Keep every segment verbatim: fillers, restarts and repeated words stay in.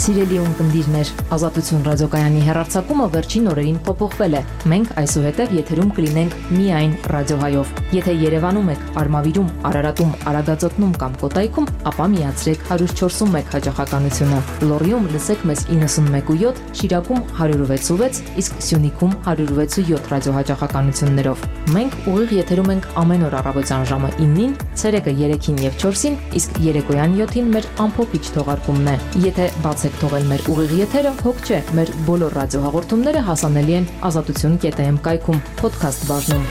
Սիրելի ունկնդիրներ, Ազատություն ռադիոկայանի հեռարձակումը վերջին օրերին փոփոխվել է։ Մենք այսուհետև եթերում կլինենք միայն ռադիոհայով։ Եթե Երևանում եք, Արմավիրում, Արարատում, Արագածոտնում կամ Կոտայքում, ապա միացրեք հարյուր չորսուն մեկ հաճախականությունը։ Լոռիում լսեք մեզ իննսունմեկ ու յոթ, Շիրակում հարյուր վեց ու վեց, իսկ Սյունիքում հարյուր վեց ու յոթ ռադիոհաճախականություններով։ Մենք ուղիղ եթերում ենք ամեն օր առավոտյան ժամը իննին, ցերեկը երեքին եւ չորսին, իսկ երեկոյան յոթին մեր ամփոփիչ թողարկումն է։ Եթե բաց եք թողել մեր ուղիղ եթերը, հոգ չէ, մեր բոլոր ռադիոհաղորդումները հասանելի են ազատություն կետ էմ կայքում, podcast բաժնում։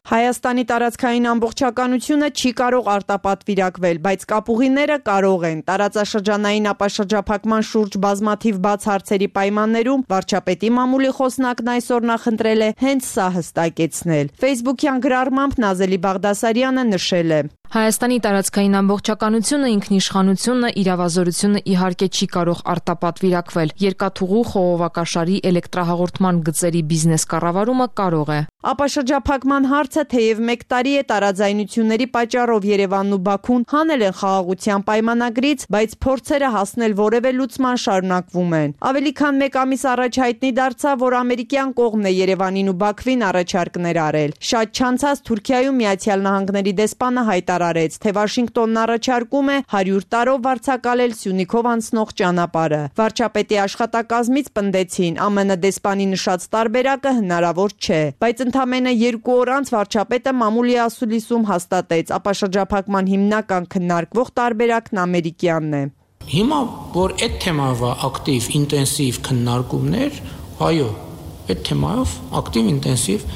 Հայաստանի տարածքային ամբողջականությունը չի կարող արտապատվիրակվել, բայց կապուղիները կարող են։ Տարածաշրջանային ապաշրջափակման շուրջ բազմաթիվ բաց հարցերի պայմաններում վարչապետի մամուլի խոսնակն այսօր նախընտրել է հենց սա հստակեցնել։ Facebook-յան գրառմամբ Նազելի Բաղդասարյանը նշել է. Հայաստանի տարածքային ամբողջականությունը, ինքնիշխանությունը, իրավազորությունը իհարկե չի կարող արտապատվիրակվել։ Երկաթուղու խողովակաշարի էլեկտրահաղորդման գծերի բիզնես կառավարումը կարող է։ Ապաշրջափակման հարցը թեև մեկ տարի է տարաձայնությունների պատճառով Երևանն ու Բաքուն հանել են խաղաղության պայմանագրից, բայց փորձերը հասնել որևէ լուծման շարունակվում են։ Ավելի քան մեկ ամիս առաջ հայտնի դարձավ, որ ամերիկյան կողմն է Երևանին ու Բաքվին առաջարկներ արել։ Շատ չանցած Թուրքիայում Միացյալ Նահանգների դեսպանը հայտարարեց, թե Վաշինգտոնն առաջարկում է հարյուր տարով վարձակալել Սյունիքով անցնող ճանապարհը։ Վարչապետի աշխատակազմից պնդեցին, ԱՄՆ դեսպանի նշած տարբերակը հնարավոր չէ, բայց ընդամենը երկու օր անց վարչապետը մամուլի ասուլիսում հաստատեց, ապաշրջափակման հիմնական քննարկվող տարբերակն ամերիկյանն է։ Հիմա որ այդ թեմայով ակտիվ ինտենսիվ քննարկումներ, այո, այդ թեմայով ակտիվ ինտենսիվ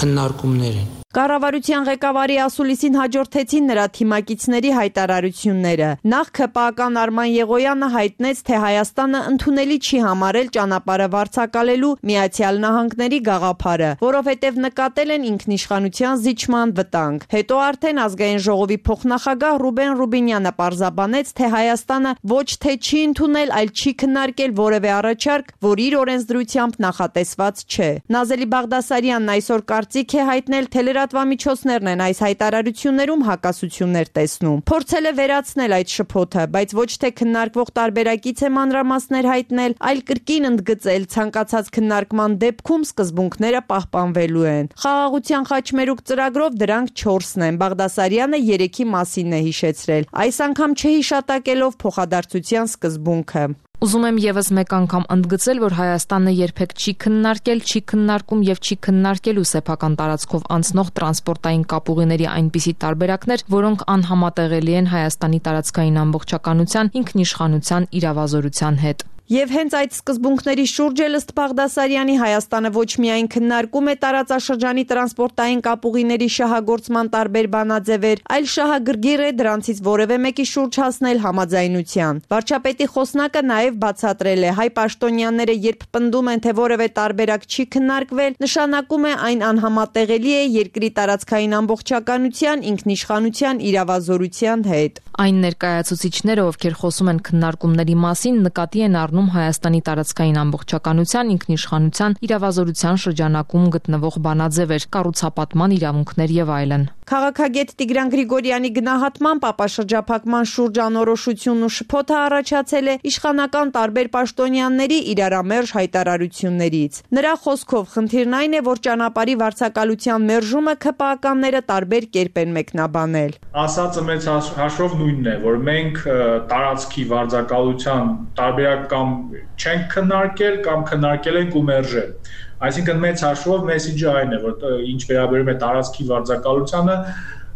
քննարկումներ են։ Կառավարության ղեկավարի ասուլիսին հաջորդեցին նրա թիմակիցների հայտարարությունները։ Նախ ՔՊԱ-ական Արման Եղոյանը հայտնեց, թե Հայաստանը ընդունելի չի համարել ճանապարհը վարձակալելու Միացյալ Նահանգների գաղափարը, որովհետև նկատել են ինքնիշխանության զիջման վտանգ։ Հետո արդեն Ազգային ժողովի փոխնախագահ Ռուբեն Ռուբինյանը պարզաբանեց, թե Հայաստանը ոչ թե չի ընդունել, այլ չի քննարկել որևէ առաջարկ, որ իր օրենսդրությամբ նախատեսված չէ։ Նազելի Բաղդասարյանն այսօր կարծիք է հայտնել, թե լրատվամիջոցներն են այս հայտարարություններում հակասություններ տեսնում։ Փորձել է վերացնել այդ շփոթը, բայց ոչ թե քննարկվող տարբերակից է մանրամասներ հայտնել, այլ կրկին ընդգծել ցանկացած քննարկման դեպքում սկզբունքները պահպանվելու են։ Խաղաղության խաչմերուկ ծրագրով դրանք չորսն են։ Բաղդասարյանը երեքի մասին է հիշեցրել, այս անգամ չհիշատակելով փոխադարձության սկզբունքը։ Ուզում եմ եւս մեկ անգամ ընդգծել, որ Հայաստանը երբեք չի քննարկել, չի քննարկում եւ չի քննարկելու սեփական տարածքով անցնող տրանսպորտային կապուղիների այնպիսի տարբերակներ, որոնք անհամատեղելի են Հայաստանի տարածքային ամբողջականության, ինքնիշխանության, իրավազորության հետ։ Եվ հենց այդ սկզբունքների շուրջ էլ ըստ Բաղդասարյանի Հայաստանը ոչ միայն քննարկում է տարածաշրջանի տրանսպորտային կապուղիների շահագործման տարբեր բանաձևեր, այլ շահագրգիռ է դրանցից որևէ մեկի շուրջ հասնել համաձայնության։ Վարչապետի խոսնակը նաև բացատրել է, հայ պաշտոնյաները երբ պնդում են, թե որևէ տարբերակ չի քննարկվել, նշանակում է այն անհամատեղելի է երկրի տարածքային ամբողջականության, ինքնիշխանության, իրավազորության հետ։ Այն ներկայացուցիչները, ովքեր խոսում են քննարկումների մասին, նկատի են առնում Հայաստանի տարածքային ամբողջականության, ինքնիշխանության, իրավազորության շրջանակում գտնվող բանաձևեր, կառուցապատման իրավունքներ եւ այլն։ Քաղաքագետ Տիգրան Գրիգորյանի գնահատմամբ ապաշրջափակման շուրջ անորոշությունն ու շփոթը առաջացել է իշխանական տարբեր պաշտոնյաների իրարամերժ հայտարարություններից։ Նրա խոսքով խնդիրն այն է, որ ճանապարհի վարձակալության մերժումը ՔՊԱ-ականները տարբեր կերպ են մեկնաբանել։ Ասածը մեծ հաշվով նույնն է, որ մենք տարածքի վարձակալության տարբերակ կամ չենք քննարկել կամ քննարկել ենք ու մերժել։ Այսինքն մեծ հաշվով մեսիջը այն է, որ ինչ վերաբերում է տարածքի վարձակալությանը,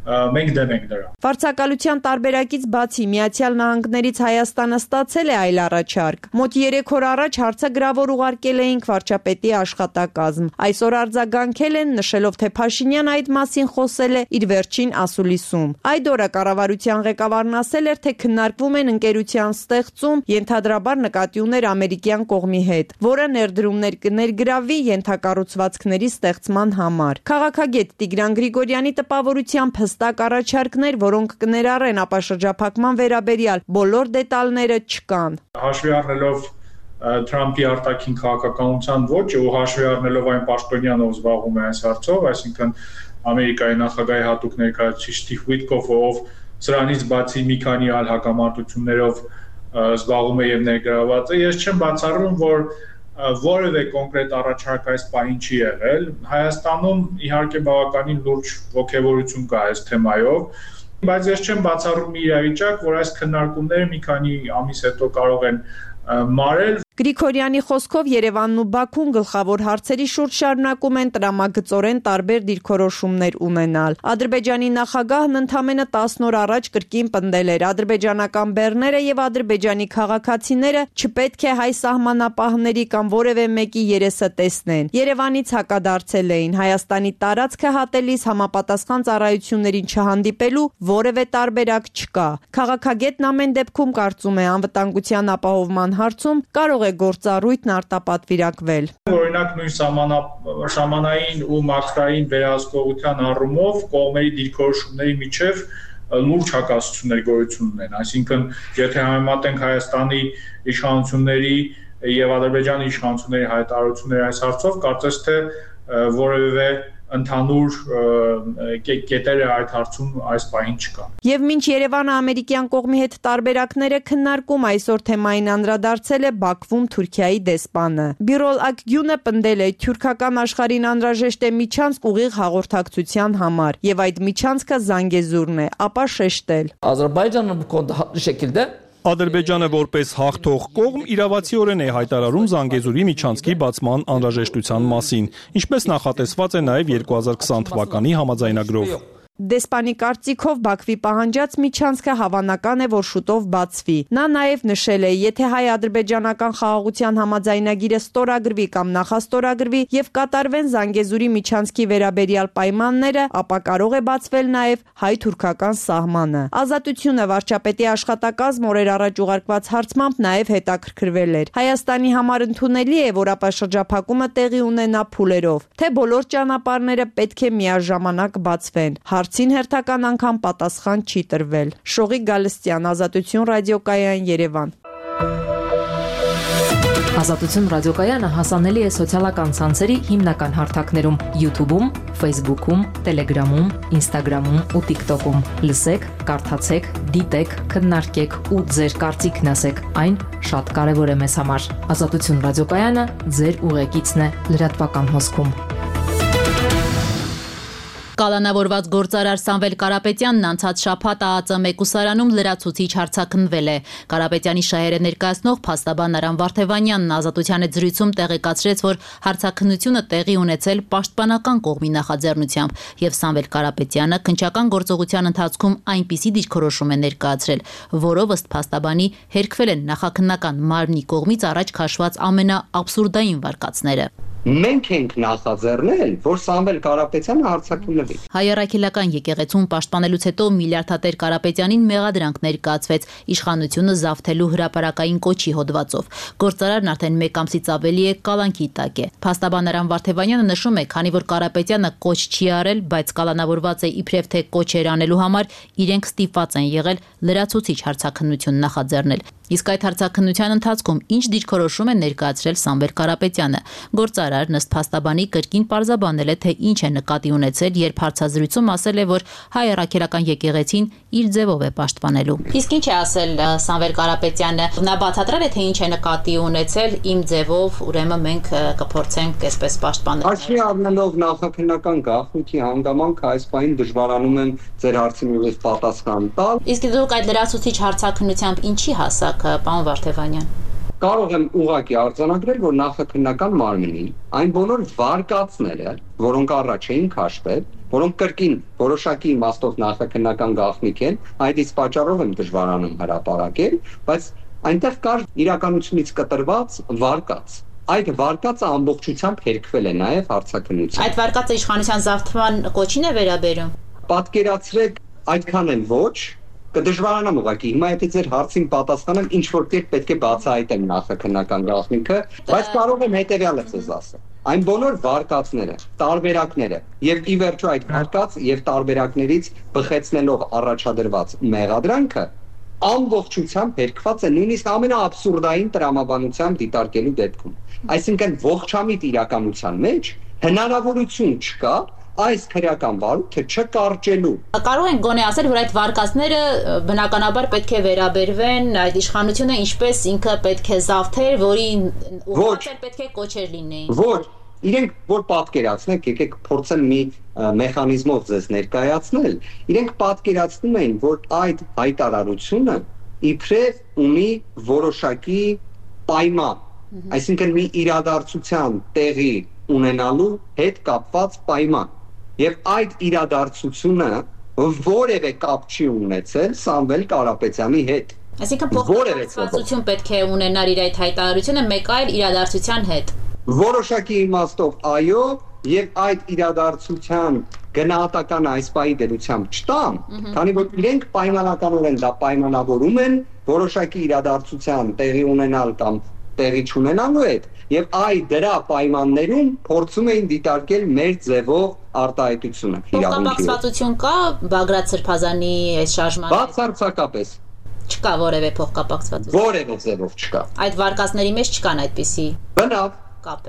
մենք դեմ ենք դրան։ Վարձակալության տարբերակից բացի Միացյալ Նահանգներից Հայաստանը ստացել է այլ առաջարկ։ Մոտ երեք օր առաջ հարցը գրավոր ուղարկել էինք վարչապետի աշխատակազմ։ Այսօր արձագանքել են, նշելով, թե Փաշինյանը այդ մասին խոսել է իր վերջին ասուլիսում։ Այդ օրը կառավարության ղեկավարն ասել էր, թե քննարկվում են ընկերության ստեղծում, ենթադրաբար նկատի ուներ ամերիկյան կողմի հետ, որը ներդրումներ կներգրավի ենթակառուցվածքների ստեղծման համար։ Քաղաքագետ Տիգրան Գրիգորյանի տպավորությամբ հստակ առաջարկներ, որոնք կներառեն ապաշրջափակման վերաբերյալ բոլոր դետալները չկան։ Հաշվի առնելով Թրամփի արտաքին քաղաքականության ոճը ու հաշվի առնելով այն պաշտոնյան, ով զբաղվում է այս հարցով, այսինքն Ամերիկայի նախագահի հատուկ ներկայացուցիչ Սթիվ Ուիթկոֆը, ով սրանից բացի մի քանի այլ հակամարտություններով զբաղվում է եւ ներգրաված է։ Ես չեմ բացառում, որ որևէ կոնկրետ առաջարկ այս պահին չի եղել։ Հայաստանում իհարկե բավականին լուրջ ոգևորություն կա այս թեմայով, բայց ես չեմ բացառում մի իրավիճակ, որ այս քննարկումները մի քանի ամիս հետո կարող են մարել։ Գրիգորյանի խոսքով Երևանն ու Բաքուն գլխավոր հարցերի շուրջ շարունակում են տրամագծորեն տարբեր դիրքորոշումներ ունենալ։ Ադրբեջանի նախագահն ընդամենը տասն օր առաջ կրկին պնդել էր, ադրբեջանական բեռները եւ ադրբեջանի քաղաքացիները չպետք է հայ սահմանապահների կամ որևէ մեկի երեսը տեսնեն։ Երևանից հակադարձել էին, Հայաստանի տարածքը հատելիս համապատասխան ծառայություններին չհանդիպելու որևէ տարբերակ չկա։ Քաղաքագետն ամեն դեպքում կարծում է, անվտանգության ապահովման հարցում կարող է գործառույթն արտապատվիրակվել։ Օրինակ նույն սահմանային ու մակրային վերահսկողության առումով կողմերի դիրքորոշումների միջև լուրջ հակասություններ գոյություն ունեն, այսինքն եթե համեմատենք Հայաստանի իշխանությունների եւ Ադրբեջանի իշխանությունների հայտարարությունները այս հարցով, կարծես թե որևէ ընդհանուր կետերը այդ հարցում այս պահին չկա։ Եվ մինչ Երևանը ամերիկյան կողմի հետ տարբերակները քննարկում, այսօր թեմային անդրադարձել է Բաքվում Թուրքիայի դեսպանը։ Բիրոլ Ակգյունը պնդել է, թուրքական աշխարհին անհրաժեշտ է միջանցք ուղիղ հաղորդակցության համար, եւ այդ միջանցքը Զանգեզուրն է, ապա շեշտել. Ադրբեջանը կոնտակտ շեկիլդե Ադրբեջանը որպես հաղթող կողմ իրավացիորեն է հայտարարում Զանգեզուրի միջանցքի բացման անհրաժեշտության մասին, ինչպես նախատեսված է նաև երկու հազար քսան թվականի համաձայնագրով։ Դեսպանի կարծիքով Բաքվի պահանջած միջանցքը հավանական է, որ շուտով բացվի։ Նա նաև նշել է, եթե հայ-ադրբեջանական խաղաղության համաձայնագիրը ստորագրվի կամ նախաստորագրվի եւ կատարվեն Զանգեզուրի միջանցքի վերաբերյալ պայմանները, ապա կարող է բացվել նաև հայ-թուրքական սահմանը։ Ազատությունը վարչապետի աշխատակազմ օրեր առաջ ուղարկված հարցմամբ նաև հետաքրքրվել էր։ Հայաստանի համար ընդունելի է, որ ապաշրջափակումը տեղի ունենա փուլերով, թե բոլոր ճանապարհները պետք է միաժամանակ բացվեն։ Հարցին հերթական անգամ պատասխան չի տրվել։ Շողիկ Գալստյան, Ազատություն ռադիոկայան, Երևան։ Ազատություն ռադիոկայանը հասանելի է սոցիալական ցանցերի հիմնական հարթակներում՝ YouTube-ում, Facebook-ում, Telegram-ում, Instagram-ում ու TikTok-ում։ Լսեք, կարդացեք, դիտեք, քննարկեք ու ձեր կարծիքն ասեք։ Այն շատ կարևոր է մեզ համար։ Ազատություն ռադիոկայանը ձեր ուղեկիցն է լրատվական հոսքում։ Կալանավորված գործարար Սամվել Կարապետյանն անցած շաբաթ ԱԱԾ մեկուսարանում լրացուցիչ հարձակնվել է։ Կարապետյանի շահերը ներկայացնող փաստաբան Արամ Վարդևանյանն Ազատության հետ զրույցում տեղեկացրեց, որ հարձակնությունը տեղի ունեցել պաշտպանական կողմի նախաձեռնությամբ, եւ Սամվել Կարապետյանը քննչական գործողության ընթացքում այնպիսի դիրքորոշում է ներկայացրել, որով ըստ փաստաբանի հերքվել են նախաքննական մարմնի կողմից առաջ քաշված ամենաաբսուրդային վարկածները։ Մենք ենք նախաձեռնել, որ Սամվել Կարապետյանը հարձակվի։ Հայ առաքելական եկեղեցում պաշտպանելուց հետո միլիարդատեր Կարապետյանին մեղադրանք ներկայացվեց իշխանությունը զավթելու հրապարակային կոչի հոդվածով։ Գործարարն արդեն մեկ ամսից ավելի է կալանքի տակ է։ Փաստաբան Արամ Վարդևանյանը նշում է, քանի որ Կարապետյանը կոչ չի արել, բայց կալանավորված է իբրև թե կոչեր անելու համար, իրենք ստիպված են եղել լրացուցիչ հարձակնություն նախաձեռնել։ Իսկ այդ հարձակնության ընթացքում ինչ դիրքորոշում է ներկայացրել Սամվել Կարապետյանը։ Գործարարն ըստ փաստաբանի կրկին պարզաբանել է, թե ինչ է նկատի ունեցել, երբ հարցազրույցում ասել է, որ հայ առաքելական եկեղեցին իր ձևով է պաշտպանելու։ Իսկ ինչ է ասել Սամվել Կարապետյանը։ Նա բացատրել է, թե ինչ է նկատի ունեցել իմ ձևով, ուրեմն մենք կփորձենք այսպես պաշտպանել։ Հաշվի առնելով նախաքննական գաղտնիքի հանգամանքը այս պահին դժվարանում եմ ձեր հարցին ուղիղ պատասխան տալ։ Իսկ դուք այդ լրացուցիչ հարձակնությամբ ինչի հասակ, պարոն Վարդևանյան։ Կարող եմ ուղղակի արձանագրել, որ նախաքննական մարմնի այն բոլոր վարկածները, որոնք առաջ էին քաշվել, որոնք կրկին որոշակի իմաստով նախաքննական գաղտնիք են, այդ իսկ պատճառով եմ դժվարանում հրապարակել, բայց այնտեղ կար իրականությունից կտրված վարկած։ Այդ վարկածը ամբողջությամբ հերքվել է նաև հարցաքննության։ Այդ վարկածը իշխանության զավթման կոչին է վերաբերում։ Պատկերացրեք, այդքան էլ ոչ, կդժվարանամ ուղղակի։ Հիմա եթե ձեր հարցին պատասխանեմ, ինչ որ կերպ պետք է բացահայտեմ նախաքննական գաղտնիքը, բայց կարող եմ հետեւյալը ձեզ ասել։ Այն բոլոր վարկածները, տարբերակները եւ ի վերջո այդ վարկած եւ տարբերակներից բխեցնելով առաջադրված մեղադրանքը ամբողջությամբ հերքված է նույնիսկ ամենաաբսուրդային տրամաբանությամբ դիտարկելու դեպքում։ Այսինքն ողջամիտ իրականության մեջ հնարավորություն չկա այս քրեական վարույթը չկարճելու։ Կարող ենք գոնե ասել, որ այդ վարկածները բնականաբար պետք է վերաբերվեն այդ իշխանությունը ինչպես ինքը պետք է զավթեր, որի ուղղակի պետք է կոչեր լինեին։ Ոչ, իրենք որ պատկերացնեք, եկեք փորձեմ մի մեխանիզմով ձեզ ներկայացնել, իրենք պատկերացնում են, որ այդ հայտարարությունը իբրև ունի որոշակի պայման, այսինքն մի իրադարձության տեղի ունենալու հետ կապված պայման։ Եվ այդ իրադարձությունը որևէ կապ չի ունեցել Սամվել Կարապետյանի հետ։ Այսինքն փոխկապակցվածություն պետք է ունենար իր այդ հայտարարությունը մեկ այլ իրադարձության հետ։ Որոշակի իմաստով այո, եւ այդ իրադարձության գնահատականը այս պահի դերությամբ չտամ, քանի որ իրենք պայմանականորեն դա պայմանավորում են որոշակի իրադարձության տեղի ունենալ կամ տեղի չունենալու հետ, եւ այ դրա պայմաններում փորձում էին դիտարկել մեր ձևով արտահայտությունը։ Փոխկապակցվածություն կա Բագրատ Սրբազանի այս շարժման հետ։ Բացարձակապես չկա որևէ փոխկապակցվածություն։ Որևէ ձևով չկա։ Այդ վարկածների մեջ չկան այդպիսի։ Բնավ։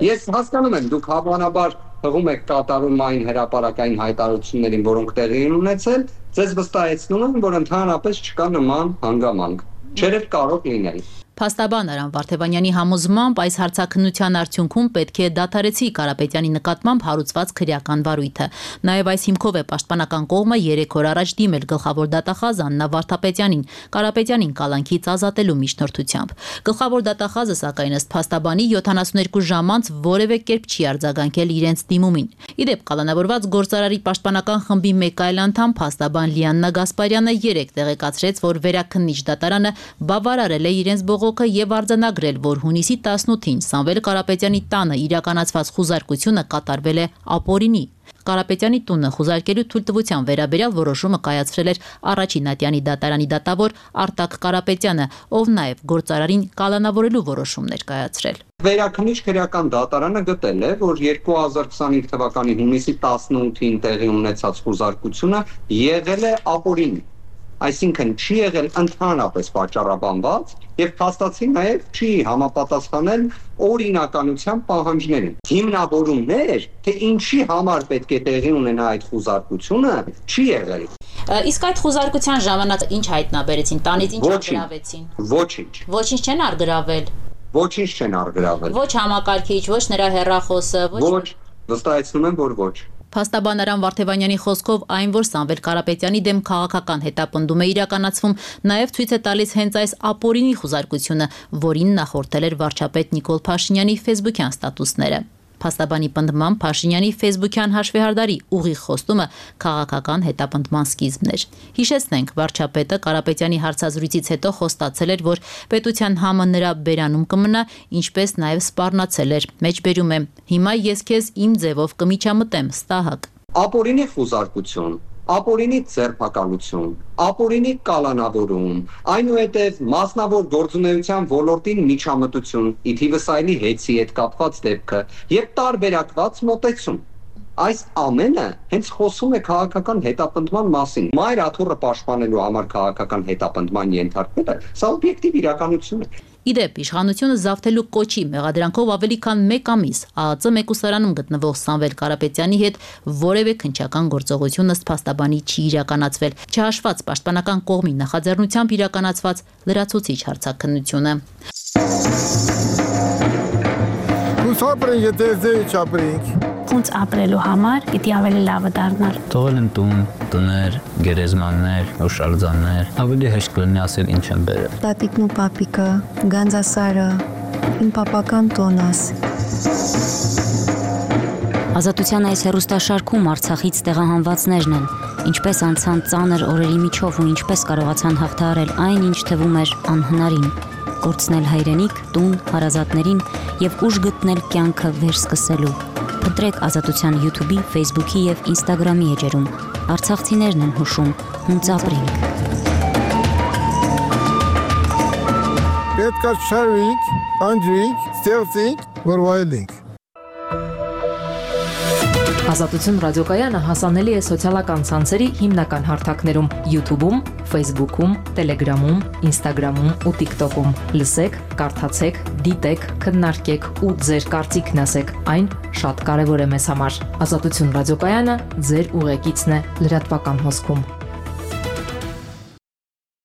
Ես հասկանում եմ, դուք հավանաբար հղում եք կատարում այն հրապարակային հայտարարություններին, որոնք տեղի են ունեցել, ձեզ վստահեցնում եմ, որ ընդհանրապես չկա նման հանգամանք։ Չերև կարող լինել։ Փաստաբան Արամ Վարդևանյանի համոզմամբ այս հարցաքննության արդյունքում պետք է դադարեցի Կարապետյանի նկատմամբ հարուցված քրեական վարույթը։ Նաև այս հիմքով է պաշտպանական կողմը երեք օր առաջ դիմել գլխավոր դատախազ Աննա Վարդապետյանին, Կարապետյանին կալանքից ազատելու միջնորդությամբ։ Գլխավոր դատախազը սակայն ըստ փաստաբանի յոթանասունյոթ ժամ անց որևէ կերպ չի արձագանքել իրենց դիմումին։ Իդեպ կալանավորված գործարարի պաշտպանական խմբի մեկ այլ անդամ փաստաբան Լիաննա Գասպարյանը երեկ տեղեկացրեց, որ վերաքննիչ դատարանը բավարարել է իրենց բողոքը եւ արձանագրել, որ հունիսի տասնութին Սամվել Կարապետյանի տանը իրականացված խուզարկությունը կատարվել է ապօրինի։ Կարապետյանի տունը խուզարկելու թույլտվության վերաբերյալ որոշումը կայացրել էր առաջին ատյանի դատարանի դատավոր Արտակ Կարապետյանը, ով նաև գործարարին կալանավորելու որոշում ներկայացրել։ Վերաքննիչ քրեական դատարանը գտել է, որ երկու հազար քսանհինգ թվականի հունիսի տասնութին տեղի ունեցած խուզարկությունը եղել է ապօրինի, այսինքն չի եղել ընդհանրապես պատճառաբանված եւ փաստացի նաեւ չի համապատասխանել օրինականության պահանջներին։ Հիմնավորումներ, թե ինչի համար պետք է տեղի ունենա այդ խուզարկությունը, չի եղել։ Իսկ այդ խուզարկության ժամանակ ինչ հայտնաբերեցին, տանից ինչ արգրավեցին։ Ոչինչ։ Ոչինչ չեն արգրավել։ Ոչինչ չեն արգրավել։ Ոչ համակարգիչ, ոչ նրա հեռախոսը, ոչ։ Վստահեցնում եմ, որ ոչ։ Փաստաբան Արամ Վարդևանյանի խոսքով այն, որ Սամվել Կարապետյանի դեմ քաղաքական հետապնդում է իրականացվում, նաև ցույց է տալիս հենց այս ապօրինի խուզարկությունը, որին նախորդել էր վարչապետ Նիկոլ Փաշինյանի ֆեյսբուքյան ստատուսները։ Փաստաբանի պնդմամբ Փաշինյանի ֆեյսբուքյան հաշվեհարդարի ուղիղ խոստումը քաղաքական հետապնդման սկիզբն էր։ Հիշեցնենք, վարչապետը Կարապետյանի հարցազրույցից հետո խոստացել էր, որ պետության համը նրա բերանում կմնա, ինչպես նաև սպառնացել էր։ Մեջբերում է. «Հիմա ես քեզ իմ ձևով կմիջամտեմ, ստահակ»։ Ապօրինի խուզարկություն, ապօրինի ձերբակալություն, ապօրինի կալանավորում, այնուհետև մասնավոր գործունեության ոլորտին միջամտություն, ի թիվս այլի հեծի հետ կապված դեպքը եւ տարբերակված մոտեցում։ Այս ամենը հենց խոսում է քաղաքական հետապնդման մասին։ Մայր աթոռը պաշտպանելու համար քաղաքական հետապնդման ենթարկվելը սա օբյեկտիվ իրականություն է։ Իդեպ իշխանությունը զավթելու կոչի մեղադրանքով ավելի քան մեկ ամիս ԱԱԾ մեկուսարանում գտնվող Սամվել Կարապետյանի հետ որևէ քննչական գործողություն ըստ փաստաբանի չի իրականացվել, չհաշված պաշտպանական կողմի նախաձեռնությամբ իրականացված լրացուցիչ հարցաքննությունը։ Ոնց ապրելու համար պիտի ավելի լավը դառնալ։ Թողել են տուն, տներ, գերեզմաններ, հուշարձաններ, ավելի հեշտ կլինի ասել ինչ են բերել։ Տատիկն ու պապիկը, Գանձասարը, իմ պապական տոնս։ Ազատության այս հեռուստաշարքում Արցախից տեղահանվածներն են, ինչպես անցան ծանր օրերի միջով ու ինչպես կարողացան հաղթահարել այն, ինչ թվում էր անհնարին։ Կորցնել հայրենիք, տուն, հարազատներին եւ ուժ գտնել կյանքը վերսկսելու։ Փնտրեք Ազատության YouTube-ի, Facebook-ի եւ Instagram-ի էջերում։ Արցախցիներն են հուշում, հունց ապրենք։ Պետք է շարվենք, անջրենք, ստեղծենք, որ վայելենք։ Ազատություն ռադիոկայանը հասանելի է սոցիալական ցանցերի հիմնական հարթակներում՝ YouTube-ում, Facebook-ում, Telegram-ում, Instagram-ում ու TikTok-ում։ Լսեք, կարդացեք, դիտեք, քննարկեք ու ձեր կարծիքն ասեք։ Այն շատ կարևոր է մեզ համար։ Ազատություն ռադիոկայանը ձեր ուղեկիցն է լրատվական հոսքում։